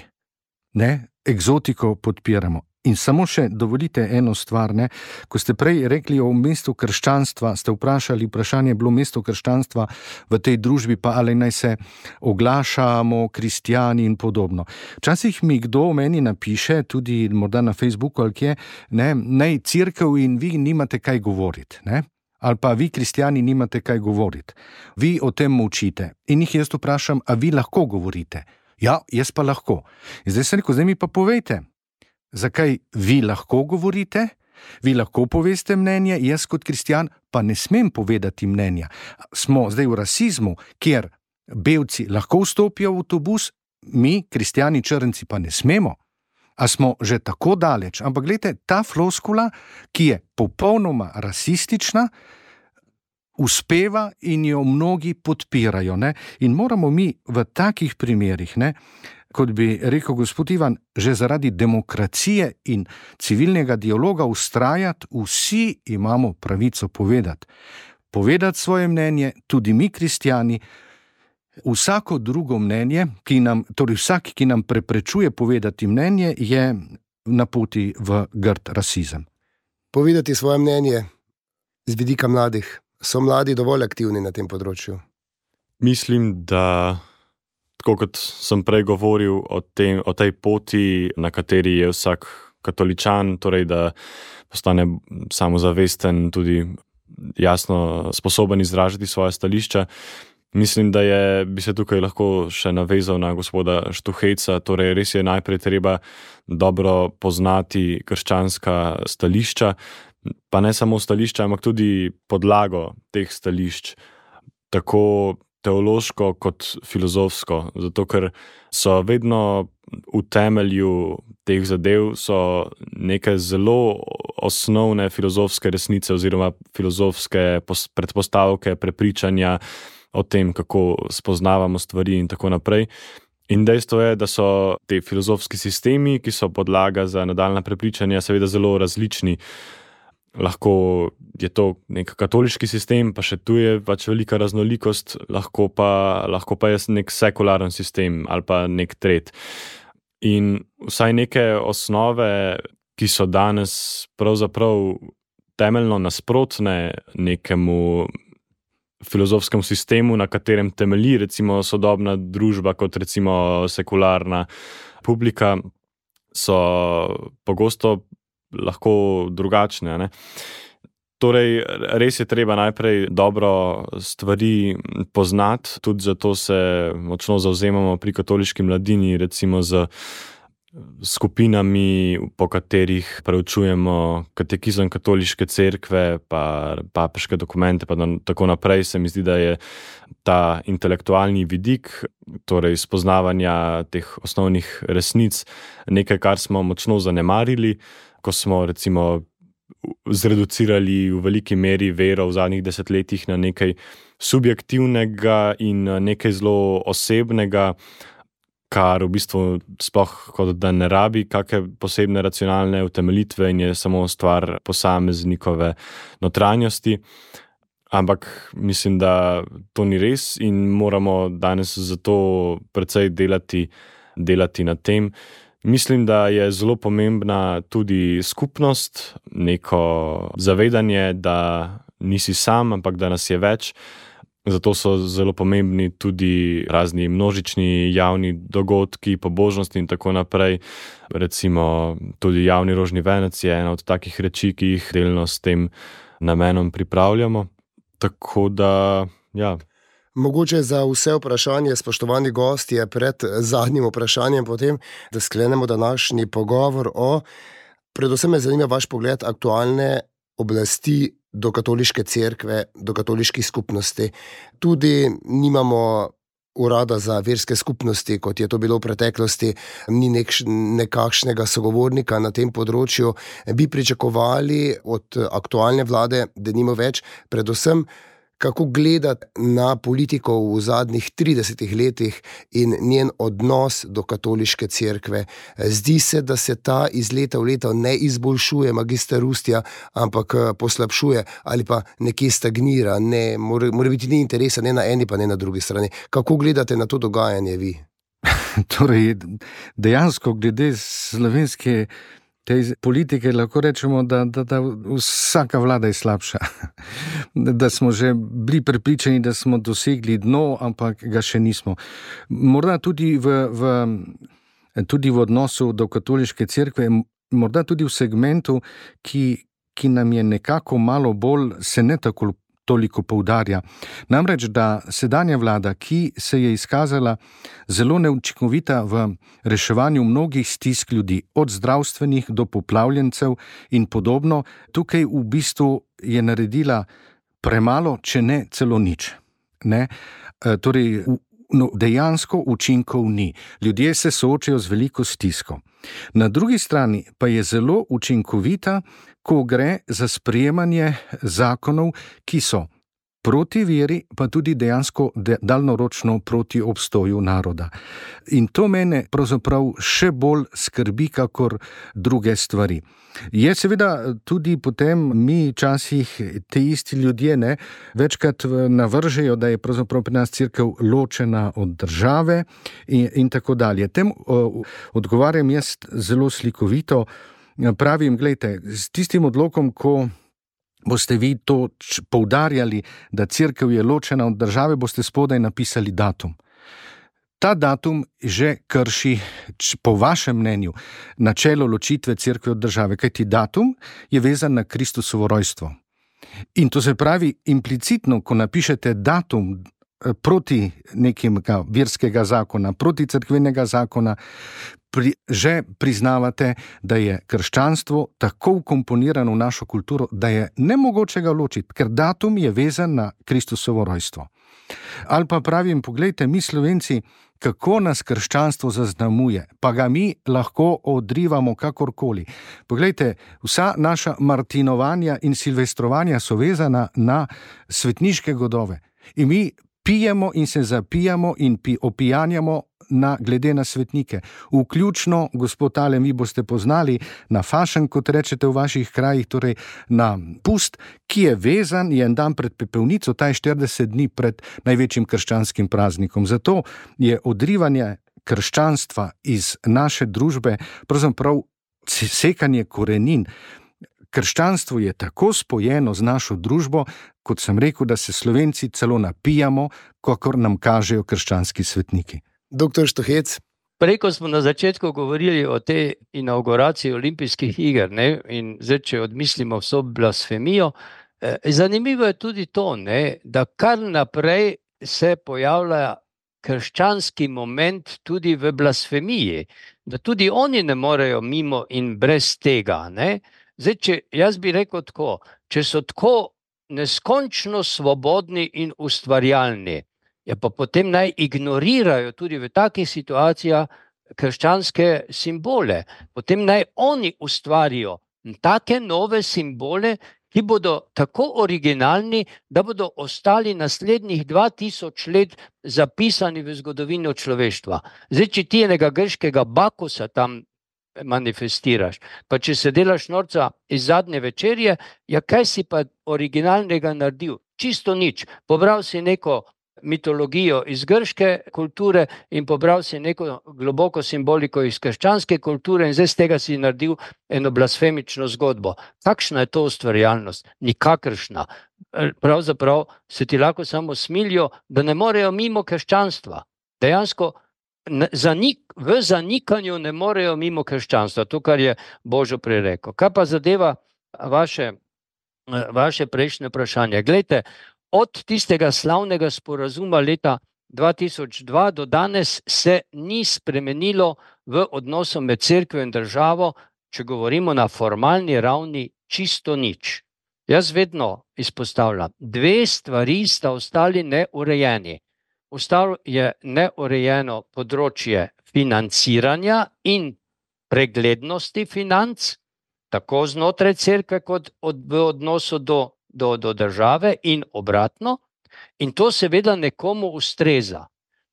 Ne, egzotiko podpiramo. In samo še dovolite eno stvar, ne? Ko ste prej rekli o mestu krščanstva, ste vprašali, vprašanje je bilo mesto krščanstva v tej družbi, pa ali naj se oglašamo, kristjani in podobno. Včasih mi kdo meni napiše, tudi morda na Facebooku ali kje, ne, naj cerkev in vi nimate kaj govoriti, ne? Ali pa vi, kristjani, nimate kaj govoriti. Vi o tem molčite. In jih jaz vprašam, a vi lahko govorite? Ja, jaz pa lahko. In zdaj se rekel, zdaj mi pa povejte, zakaj vi lahko govorite, vi lahko poveste mnenje, jaz kot kristjan pa ne smem povedati mnenja. Smo zdaj v rasizmu, kjer belci lahko vstopijo v avtobus, mi, kristjani črnci, pa ne smemo. A smo že tako daleč? Ampak gledajte, ta floskula, ki je popolnoma rasistična, uspeva in jo mnogi podpirajo. Ne? In moramo mi v takih primerih, ne, kot bi rekel gospod Ivan, že zaradi demokracije in civilnega dialoga ustrajati, vsi imamo pravico povedati. Povedati svoje mnenje, tudi mi kristjani, vsako drugo mnenje, ki nam, torej vsak, ki nam preprečuje povedati mnenje, je na poti v grd rasizem. Povedati svoje mnenje z vidika mladih. So mladi dovolj aktivni na tem področju? Mislim, da tako kot sem prej govoril o, tem, o tej poti, na kateri je vsak katoličan, torej da postane samozavesten, tudi jasno sposoben izražati svoje stališča. Mislim, da je, bi se tukaj lahko še navezal na gospoda Štuhejca, torej res je najprej treba dobro poznati krščanska stališča, pa ne samo stališča, ampak tudi podlago teh stališč, tako teološko kot filozofsko, zato ker so vedno v temelju teh zadev so neke zelo osnovne filozofske resnice oziroma filozofske predpostavke, prepričanja o tem, kako spoznavamo stvari in tako naprej. In dejstvo je, da so te filozofski sistemi, ki so podlaga za nadaljnja prepričanja, seveda zelo različni. Lahko je to nek katoliški sistem, pa še tu je pač velika raznolikost, lahko pa, lahko pa je nek sekularen sistem ali pa nek tret. In vsaj neke osnove, ki so danes pravzaprav temeljno nasprotne nekemu filozofskemu sistemu, na katerem temelji recimo sodobna družba kot recimo sekularna publika, so pogosto lahko drugačne. Ne? Torej, res je treba najprej dobro stvari poznati, tudi zato se močno zavzemamo pri katoliški mladini, recimo z skupinami, po katerih preučujemo katekizem katoliške cerkve, pa papeške dokumente, pa tako naprej. Se mi zdi, da je ta intelektualni vidik, torej spoznavanja teh osnovnih resnic, nekaj, kar smo močno zanemarili, ko smo recimo zreducirali v veliki meri vero v zadnjih desetletjih na nekaj subjektivnega in nekaj zelo osebnega, kar v bistvu sploh kot da ne rabi kakšne posebne racionalne utemeljitve in je samo stvar posameznikove notranjosti. Ampak mislim, da to ni res in moramo danes zato precej delati, delati na tem. Mislim, da je zelo pomembna tudi skupnost, neko zavedanje, da nisi sam, ampak da nas je več. Zato so zelo pomembni tudi razni množični javni dogodki, pobožnosti in tako naprej. Recimo tudi javni rožni venec je ena od takih reči, ki jih delno s tem namenom pripravljamo. Tako da, ja. Mogoče za vse vprašanje, spoštovani gostje, pred zadnjim vprašanjem potem, da sklenemo današnji pogovor o, predvsem me zanima vaš pogled aktualne oblasti do katoliške cerkve, do katoliških skupnosti. Tudi nimamo urada za verske skupnosti, kot je to bilo v preteklosti, ni nek, nekakšnega sogovornika na tem področju. Bi pričakovali od aktualne vlade, da nimo več, predvsem kako gledati na politiko v zadnjih tridesetih letih in njen odnos do katoliške cerkve. Zdi se, da se ta iz leta v leto ne izboljšuje, magister Rustja, ampak poslabšuje ali pa nekje stagnira, ne, mora, mora biti ni interesa ne na eni pa ne na drugi strani. Kako gledate na to dogajanje vi? Torej, dejansko glede slovenske te politike lahko rečemo, da, da, da vsaka vlada je slabša. Da smo že bili prepričani, da smo dosegli dno, ampak ga še nismo. Morda tudi v, v, tudi v odnosu do katoliške cerkve, morda tudi v segmentu, ki, ki nam je nekako malo bolj, se ne tako toliko poudarja. Namreč, da sedanja vlada, ki se je izkazala zelo neučinkovita v reševanju mnogih stisk ljudi, od zdravstvenih do poplavljencev in podobno, tukaj v bistvu je naredila premalo, če ne celo nič. Ne? E, torej, no, dejansko učinkov ni. Ljudje se soočajo z veliko stisko. Na drugi strani pa je zelo učinkovita, ko gre za sprejemanje zakonov, ki so proti veri, pa tudi dejansko daljnoročno proti obstoju naroda. In to mene pravzaprav še bolj skrbi, kakor druge stvari. Je seveda tudi potem mi časih te isti ljudje ne, večkrat navržejo, da je pravzaprav pri nas cerkev ločena od države in, in tako dalje. Tem o, odgovarjam jaz zelo slikovito. Pravim, gledajte, s tistim odlokom, ko boste vi to poudarjali, da cerkev je ločena od države, boste spodaj napisali datum. Ta datum že krši, po vašem mnenju, načelo ločitve cerkve od države, kajti datum je vezan na Kristusovo rojstvo. In to se pravi implicitno, ko napišete datum proti nekim verskega zakona, proti cerkvenega zakona, Pri, že priznavate, da je krščanstvo tako vkomponirano v našo kulturo, da je nemogoče ga ločiti, ker datum je vezan na Kristusovo rojstvo. Ali pa pravim, poglejte, mi Slovenci, kako nas krščanstvo zaznamuje, pa ga mi lahko odrivamo kakorkoli. Poglejte, vsa naša martinovanja in silvestrovanja so vezana na svetniške godove. In mi pijemo in se zapijamo in pi, opijanjamo na, glede na svetnike. Vključno, gospod Ale, vi boste poznali na fašen, kot rečete v vaših krajih, torej na pust, ki je vezan, je en dan pred pepelnico, ta je štirideset dni pred največjim krščanskim praznikom. Zato je odrivanje krščanstva iz naše družbe pravzaprav sekanje korenin. Krščanstvo je tako spojeno z našo družbo, kot sem rekel, da se Slovenci celo napijamo, kakor nam kažejo krščanski svetniki. Doktor Štuhec. Prej, ko smo na začetku govorili o tej inauguraciji olimpijskih iger, ne, in zdaj, če odmislimo vso blasfemijo, eh, zanimivo je tudi to, ne, da kar naprej se pojavlja krščanski moment tudi v blasfemiji, da tudi oni ne morejo mimo in brez tega, ne. Zdaj, če jaz bi rekel tako, če so tako neskončno svobodni in ustvarjalni, ja pa potem naj ignorirajo tudi v takih situacijah krščanske simbole. Potem naj oni ustvarijo take nove simbole, ki bodo tako originalni, da bodo ostali naslednjih dva tisoč let zapisani v zgodovino človeštva. Zdaj, če ti enega grškega Bakusa tam manifestiraš, pa če se delaš norca iz zadnje večerje, ja kaj si pa originalnega naredil? Čisto nič. Pobral si neko mitologijo iz grške kulture in pobral si neko globoko simboliko iz krščanske kulture in zdaj z tega si naredil eno blasfemično zgodbo. Kakšna je to ustvarjalnost? Nikakršna. Pravzaprav se ti lahko samo smilijo, da ne morejo mimo krščanstva. Dejansko zanik, v zanikanju ne morejo mimo krščanstva, to, kar je Božo prej rekel. Kaj pa zadeva vaše, vaše prejšnje vprašanje? Glejte, od tistega slavnega sporazuma leta dva tisoč dva do danes se ni spremenilo v odnosu med cerkvijo in državo, če govorimo na formalni ravni, čisto nič. Jaz vedno izpostavljam, dve stvari sta ostali neurejeni. Ostalo je neurejeno področje financiranja in preglednosti financ, tako znotraj cerkve kot od, v odnosu do do, do države in obratno, in to seveda nekomu ustreza.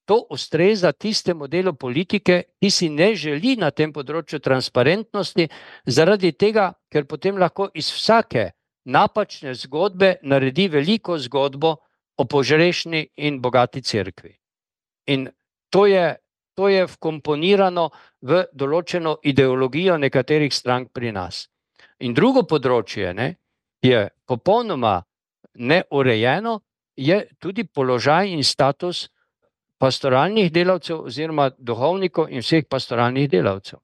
To ustreza tistemu delu politike, ki si ne želi na tem področju transparentnosti, zaradi tega, ker potem lahko iz vsake napačne zgodbe naredi veliko zgodbo o požrešni in bogati cerkvi. In to je, to je vkomponirano v določeno ideologijo nekaterih strank pri nas. In drugo področje, ne, je popolnoma neurejeno, je tudi položaj in status pastoralnih delavcev oziroma duhovnikov in vseh pastoralnih delavcev.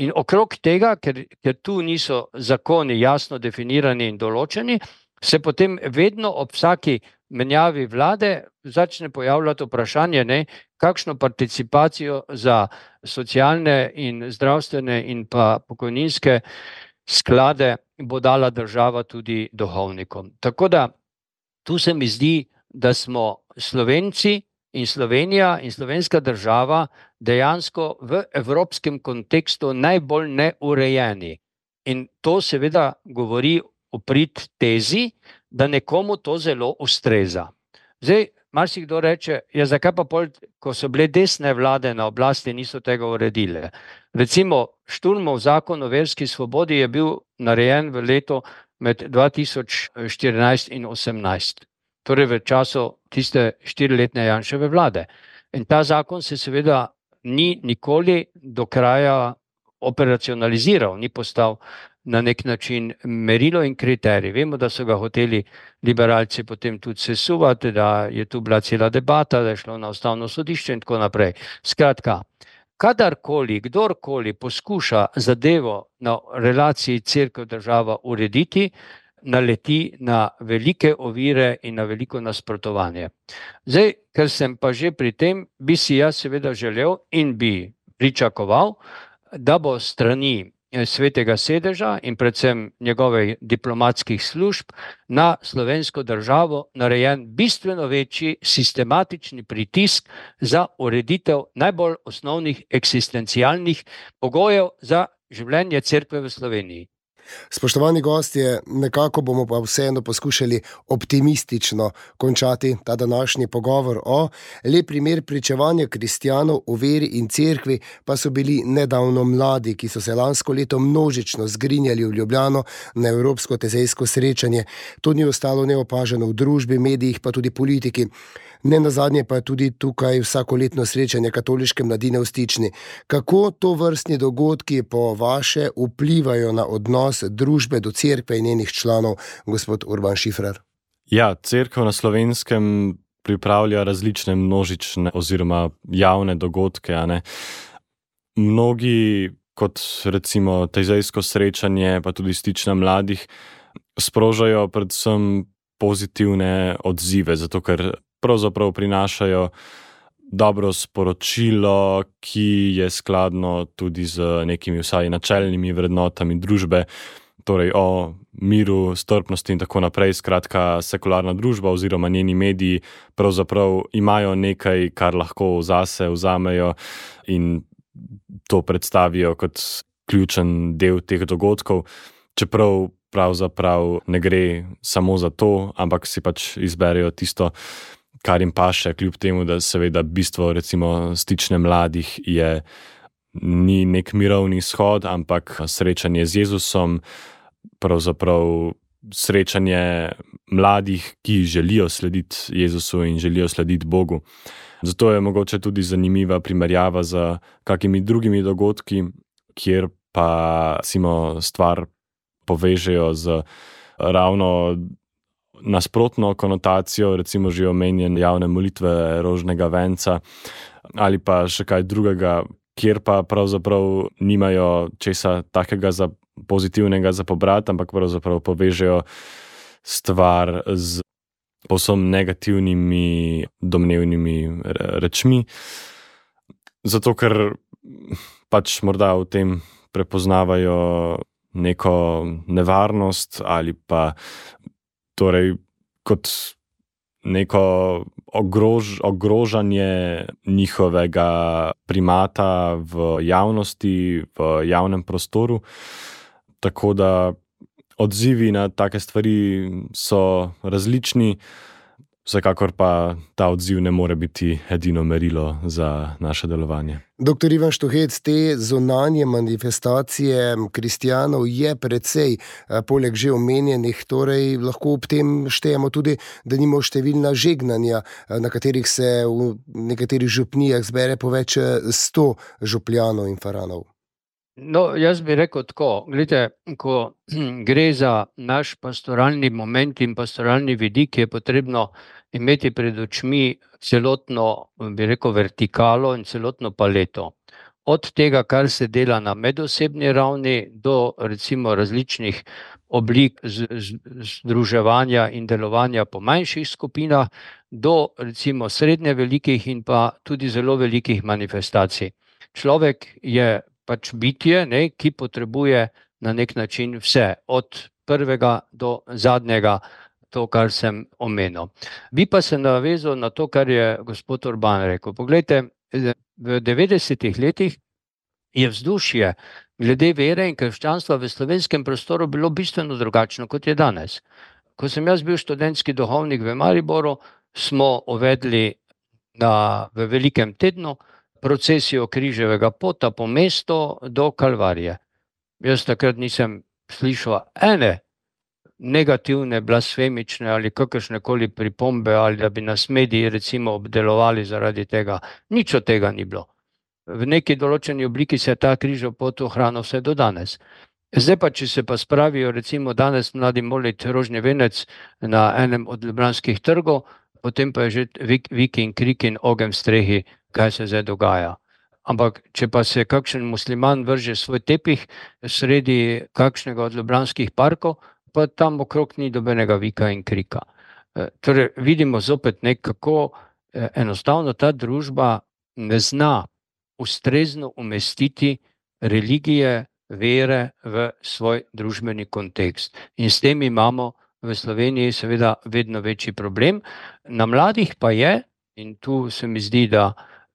In okrog tega, ker, ker tu niso zakoni jasno definirani in določeni, se potem vedno ob vsaki menjavi vlade začne pojavljati vprašanje, ne, kakšno participacijo za socialne in zdravstvene in pa pokojninske sklade bo dala država tudi duhovnikom. Tako da tu se mi zdi, da smo Slovenci in Slovenija in slovenska država dejansko v evropskem kontekstu najbolj neurejeni. In to seveda govori v prid tezi, da nekomu to zelo ustreza. Zdaj, marsikdo reče, ja, zakaj pa pol, ko so bile desne vlade na oblasti, niso tega uredile. Recimo, Šturmov zakon o verski svobodi je bil narejen v letu med dva tisoč štirinajst in osemnajst. Torej v času tiste štiriletne Janševe vlade. In ta zakon se seveda ni nikoli do kraja operacionaliziral, ni postal na nek način merilo in kriterij. Vemo, da so ga hoteli liberalci potem tudi sesuvati, da je tu bila cela debata, da je šlo na ustavno sodišče in tako naprej. Skratka, kadarkoli, kdorkoli poskuša zadevo na relaciji cerkev-država urediti, naleti na velike ovire in na veliko nasprotovanje. Zdaj, ker sem pa že pri tem, bi si jaz seveda želel in bi pričakoval, da bo strani Svetega sedeža in predvsem njegovih diplomatskih služb na slovensko državo narejen bistveno večji sistematični pritisk za ureditev najbolj osnovnih eksistencialnih pogojev za življenje cerkve v Sloveniji. Spoštovani gostje, nekako bomo pa vseeno poskušali optimistično končati ta današnji pogovor o lep primer pričevanja kristjanov o veri in cerkvi, pa so bili nedavno mladi, ki so se lansko leto množično zgrinjali v Ljubljano na Evropsko tezejsko srečanje. To ni ostalo neopaženo v družbi, medijih, pa tudi politiki. Ne nazadnje pa je tudi tukaj vsakoletno srečanje katoliške mladine v Stični. Kako to vrstni dogodki po vaše vplivajo na odnos družbe do cerkve in njenih članov, gospod Urban Šifrer? Ja, cerkev na Slovenskem pripravlja različne množične oziroma javne dogodke. A ne? Mnogi, kot recimo tezejsko srečanje, pa tudi Stična mladih, sprožajo predvsem pozitivne odzive, zato ker pravzaprav prinašajo dobro sporočilo, ki je skladno tudi z nekimi vsaj načelnimi vrednotami družbe, torej o miru, strpnosti in tako naprej. Skratka, sekularna družba oziroma njeni mediji pravzaprav imajo nekaj, kar lahko zase vzamejo in to predstavijo kot ključen del teh dogodkov, čeprav pravzaprav ne gre samo za to, ampak si pač izberejo tisto, kar jim paše, kljub temu, da seveda bistvo recimo Stične mladih je ni nek mirovni shod, ampak srečanje z Jezusom, pravzaprav srečanje mladih, ki želijo slediti Jezusu in želijo slediti Bogu. Zato je mogoče tudi zanimiva primerjava z kakimi drugimi dogodki, kjer pa recimo stvar povežejo z ravno nasprotno konotacijo, recimo že omenjen javne molitve rožnega venca ali pa še kaj drugega, kjer pa pravzaprav nimajo česa takega za pozitivnega za pobrati, ampak pravzaprav povežejo stvar z povsem negativnimi domnevnimi rečmi. Zato, ker pač morda v tem prepoznavajo neko nevarnost ali pa torej kot neko ogrož, ogrožanje njihovega primata v javnosti, v javnem prostoru. Tako da odzivi na take stvari so različni, vsekakor pa ta odziv ne more biti edino merilo za naše delovanje. Doktor Ivan Štuhec, te zunanje manifestacije kristjanov je precej, poleg že omenjenih, torej lahko ob tem štejemo tudi, da nimo številna žegnanja, na katerih se v nekaterih župnijah zbere po več sto župljanov in faranov. No, jaz bi rekel tako, gledajte, ko gre za naš pastoralni moment in pastoralni vidik, je potrebno imeti pred očmi celotno, bi rekel, vertikalo in celotno paleto. Od tega, kar se dela na medosebni ravni, do recimo različnih oblik združevanja in delovanja po manjših skupinah, do recimo srednje velikih in pa tudi zelo velikih manifestacij. Človek je pač bitje, ne, ki potrebuje na nek način vse, od prvega do zadnjega, to, kar sem omenil. Bi pa se navezal na to, kar je gospod Urban rekel. Poglejte, v devetdesetih letih je vzdušje glede vere in krščanstva v slovenskem prostoru bilo bistveno drugačno, kot je danes. Ko sem jaz bil študentski duhovnik v Mariboru, smo uvedli na, v velikem tednu procesijo križevega pota po mestu do Kalvarije. Jaz takrat nisem slišal ene negativne, blasfemične ali kakršnekoli pripombe, ali da bi nas mediji recimo obdelovali zaradi tega. Nič od tega ni bilo. V neki določeni obliki se ta križev pot ohrana vse do danes. Zdaj pa, če se pa spravijo recimo danes mladi molit rožni venec na enem od ljubljanskih trgov, potem pa je že vik, vik in krik in ogenj v strehi, kaj se zdaj dogaja. Ampak, če pa se kakšen musliman vrže svoj tepih sredi kakšnega od ljubljanskih parkov, pa tam okrog ni dobenega vika in krika. Torej, vidimo zopet nekako enostavno ta družba ne zna ustrezno umestiti religije, vere v svoj družbeni kontekst. In s tem imamo v Sloveniji seveda vedno večji problem. Na mladih pa je, in tu se mi zdi, da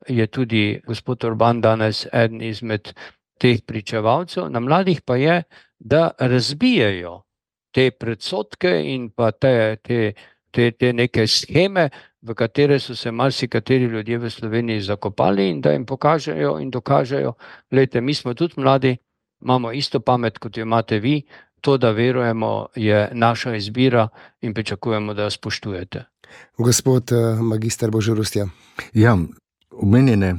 je tudi gospod Urban danes eden izmed teh pričevalcev, na mladih pa je, da razbijajo te predsodke in pa te, te, te, te neke sheme, v katere so se marsikateri ljudje v Sloveniji zakopali, in da jim pokažejo in dokažejo, glejte, mi smo tudi mladi, imamo isto pamet, kot jo imate vi, to, da verujemo, je naša izbira in pričakujemo, da jo spoštujete. Gospod magister Božorustja. Ja, omenjene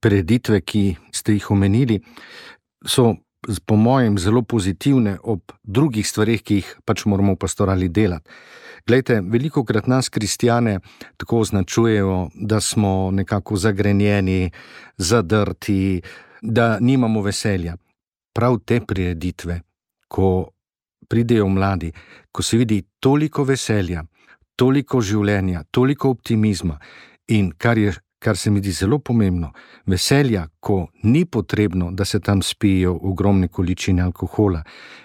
prireditve, ki ste jih omenili, so po mojem zelo pozitivne ob drugih stvareh, ki jih pač moramo v pastorali delati. Glejte, velikokrat nas kristjane tako označujejo, da smo nekako zagrenjeni, zadrti, da nimamo veselja. Prav te prireditve, ko pridejo mladi, ko se vidi toliko veselja, toliko življenja, toliko optimizma in kar je kar se mi zdi zelo pomembno, veselja, ko ni potrebno, da se tam spijo ogromne količine alkohola,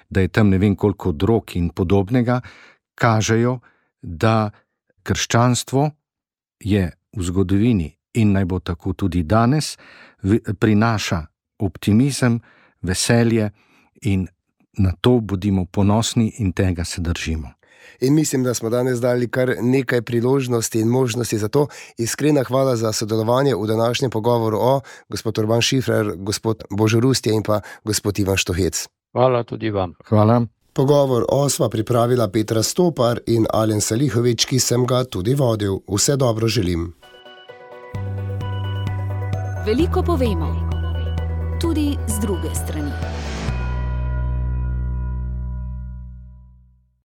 da je tam ne vem koliko drog in podobnega, kažejo, da krščanstvo je v zgodovini in naj bo tako tudi danes, prinaša optimizem, veselje in na to bodimo ponosni in tega se držimo. In mislim, da smo danes dali kar nekaj priložnosti in možnosti za to. Iskrena hvala za sodelovanje v današnjem pogovoru o gospod Urban Šifrer, gospod Božorustje in pa gospod Ivan Štuhec. Hvala tudi vam. Hvala. Pogovor o sva pripravila Petra Stopar in Alen Salihovič, ki sem ga tudi vodil. Vse dobro želim. Veliko povemo, tudi z druge strani.